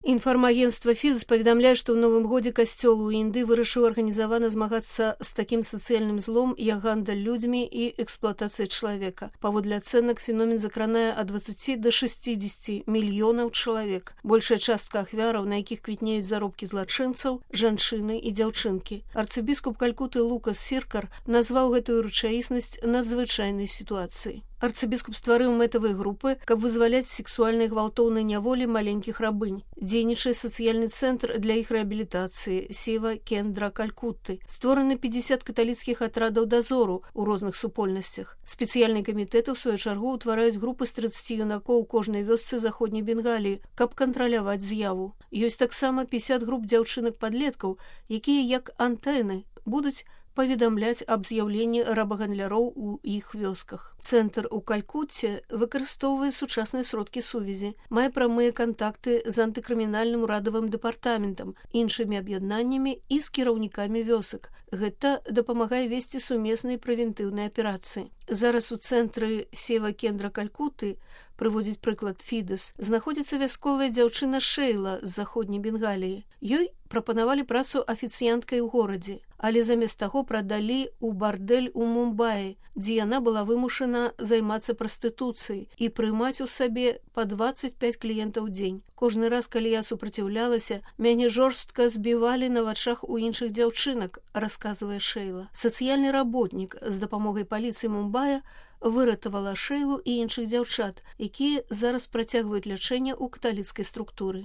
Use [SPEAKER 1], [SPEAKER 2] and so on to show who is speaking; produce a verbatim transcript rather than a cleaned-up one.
[SPEAKER 1] Інфармагенцтва Фідес паведамляе, што ў новым годзе касцёл у Індыі вырашыў арганізавана змагацца з такім сацыяльным злом, як гандаль людзьмі і эксплуатацыя чалавека. Паводле ацэнак, феномен закранае ад дваццаці да шасцідзесяці мільёнаў чалавек. Большая частка ахвяраў, на якіх квітнеюць заробкі злачынцаў, жанчыны і дзяўчынкі. Арцыбіскуп Калькуты Лукас Сіркар назваў гэтую рэчаіснасць надзвычайнай сітуацыяй. Арцыбіскуп стварыў мэтавыя групы, каб вызваляць сексуальнай гвалтоўнай няволі маленькіх рабынь. Дзейнічае сацыяльны цэнтр для іх рэабілітацыі Сева Кендра Калькутты. Створаны пятьдесят каталіцкіх атрадаў дазору ў розных супольнасцях. Спецыяльныя камітэты, у сваю чаргу, утвараюць групы з трыццаці юнакоў у кожнай вёсцы заходняй Бенгаліі, каб кантраляваць з'яву. Ёсць таксама пятьдесят груп дзяўчынак-падлеткаў, якія, як антэны, будуць паведамляць аб з'яўленні рабагандлляроў у іх вёсках. Цэнтр у Калькутце выкарыстоўвае сучасныя сродкі сувязі, мае прамыя кантакты з антыкрымінальным урадавым дэпартаментам, іншымі аб'яднаннямі і з кіраўнікамі вёсак. Гэта дапамагае весці сумесныя прэвентыўныя аперацыі. Зараз у цэнтры Сева Кендра Калькуты, прыводзіць прыклад Фідес, знаходзіцца вясковая дзяўчына Шэйла з заходняй Бенгаліі. Ёй прапанавалі працу афіцыянткай у горадзе, але замест таго прадалі ў бардэль у Мумбаі, дзе яна была вымушана займацца прастытуцыяй і прымаць у сабе па дваццаць пяць кліентаў у дзень. Кожны раз, калі я супраціўлялася, мяне жорстка збівалі на вачах у іншых дзяўчынак, расказвае Шэйла. Сацыяльны работнік з дапамогай паліцыі Мумбая выратавала Шэйлу і іншых дзяўчат, якія зараз працягваюць лячэнне ў каталіцкай структуры.